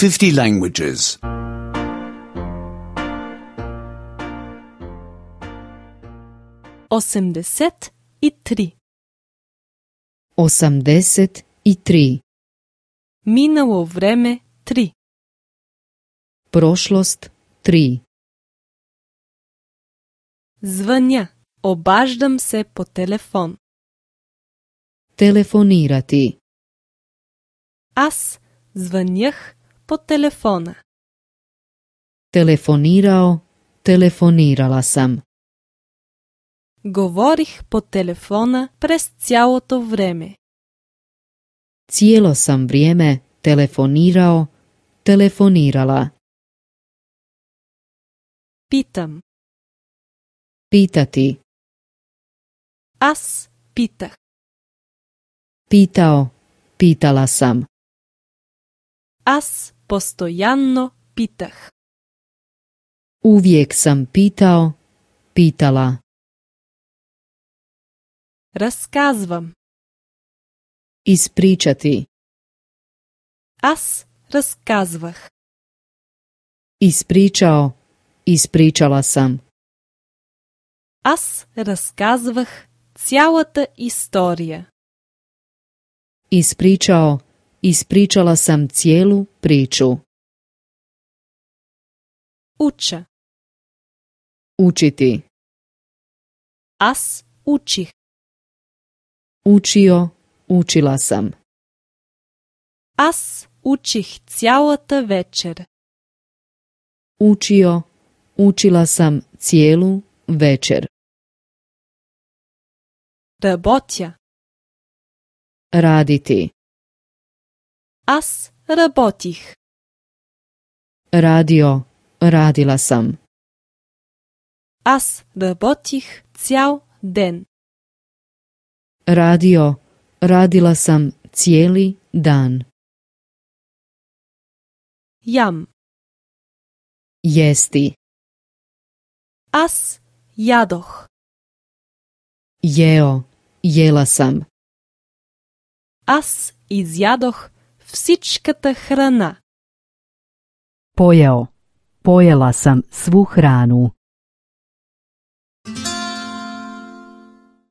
50 languages. 83. 83. Minalo vreme 3. Prošlost 3. Звъня. Обаждам се по телефон. Telefonirati. Аз звънях по телефона. Telefonirao, telefonirala sam. Говорих по телефона през цялото време. Cijelo sam vrijeme telefonirao, telefonirala. Питам. Pitati. Аз питах. Pitao, pitala sam. Аз постоянно питах. Uvijek sam pitao, pitala. Разказвам. Ispričati. Аз разказвах. Ispričao, ispričala sam. Аз разказвах цялата история. Ispričao, ispričala sam cijelu priču. Уча. Učiti. Аз учих. Učio, učila sam. Аз учих цялата вечер. Učio, učila sam cijelu večer. Работя. Raditi. Аз работих. Radio, radila sam. Аз работих цял ден. Radio, radila sam cijeli dan. Ям. Jesti. Аз ядох. Jeo, jela sam. Аз изядох всичката храна. Pojeo. Pojela sam svu hranu.